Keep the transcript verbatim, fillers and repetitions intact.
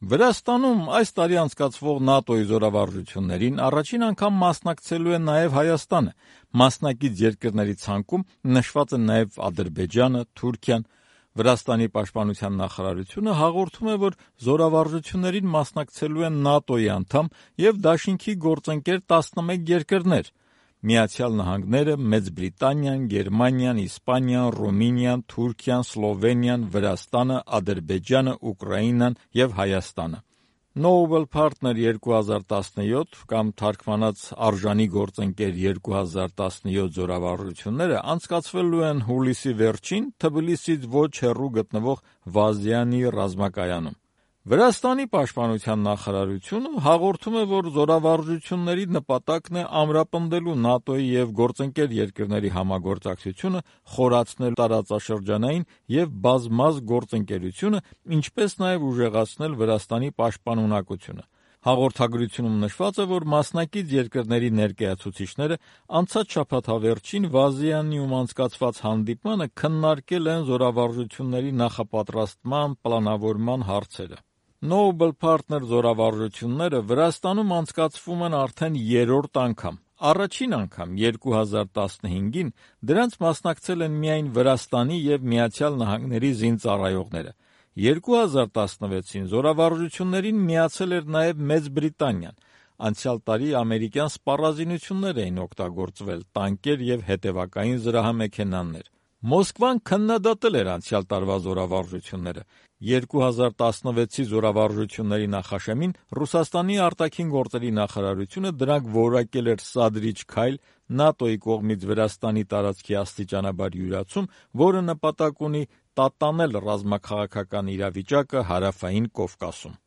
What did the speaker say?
Վրաստանում այս տարի անցկացվող ՆԱՏՕ-ի զորավարժություններին առաջին անգամ մասնակցելու է նաև Հայաստանը։ Մասնակից երկրների ցանկում նշված են նաև Ադրբեջանը, Թուրքիան։ Վրաստանի պաշտպանության նախարարությունը հաղորդում է, որ զորավարժություններին մասնակցելու են ՆԱՏՕ-ի անդամ և դաշինքի գործընկեր տասնմեկ երկրներ՝ Միացյալ Նահանգները, Մեծ Բրիտանիան, Գերմանիան, Իսպանիան, Ռումինիան, Թուրքիան, Սլովենիան, Վրաստանը, Ադրբեջանը, Ուկրաինան և Հայաստանը։ Noble Partner երկու հազար տասնյոթ կամ թարգմանած արժանի գործընկեր երկու հազար տասնյոթ զորավարժությունները անցկացվելու են հուլիսի վերջին Թբիլիսիից ոչ հեռու գտնվող Վազյանի ռազմակայանում։ Վրաստանի պաշտպանության նախարարությունը հաղորդում է, որ զորավարժությունների նպատակն է ամրապնդելու ՆԱՏՕ-ի և գործընկեր երկրների համագործակցությունը, խորացնել տարածաշրջանային և բազմազգ գործընկերությունը, ինչպես նաև ուժեղացնել Վրաստանի պաշտպանունակությունը։ Հաղորդագրությունում նշված է, որ մասնակից երկրների ներկայացուցիչները անցած շաբաթավերջին Վազյանիում անցկացված հանդիպմանը քննարկել են զորավարժությունների նախապատրաստման, պլանավորման հարցերը։ Noble Partner զորավարժությունները Վրաստանում անցկացվում են արդեն երրորդ անգամ։ Առաջին անգամ երկու հազար տասնհինգին դրանց մասնակցել են միայն Վրաստանի և Միացյալ Նահանգների զինծառայողները։ երկու հազար տասնվեցին զորավարժություններին միացել էր նաև Մեծ Բրիտանիան։ Անցյալ տարի ամերիկյան սպառազինություններ էին օգտագործվել՝ տանկեր և հետևակային զրահամեքենաներ։ Մոսկվան քննադատել էր անցյալ տարվա զորավարժությունները։ երկու հազար տասնվեցի զորավարժությունների նախաշեմին Ռուսաստանի արտաքին գործերի նախարարությունը դրանք որակել էր սադրիչ քայլ ՆԱՏՕ-ի կողմից Վրաստանի տարածքի աստիճանաբար յուրացում, որը նպատակ ունի տատանել ռազմաքաղաքական իրավիճակը Հարավային Կովկասում։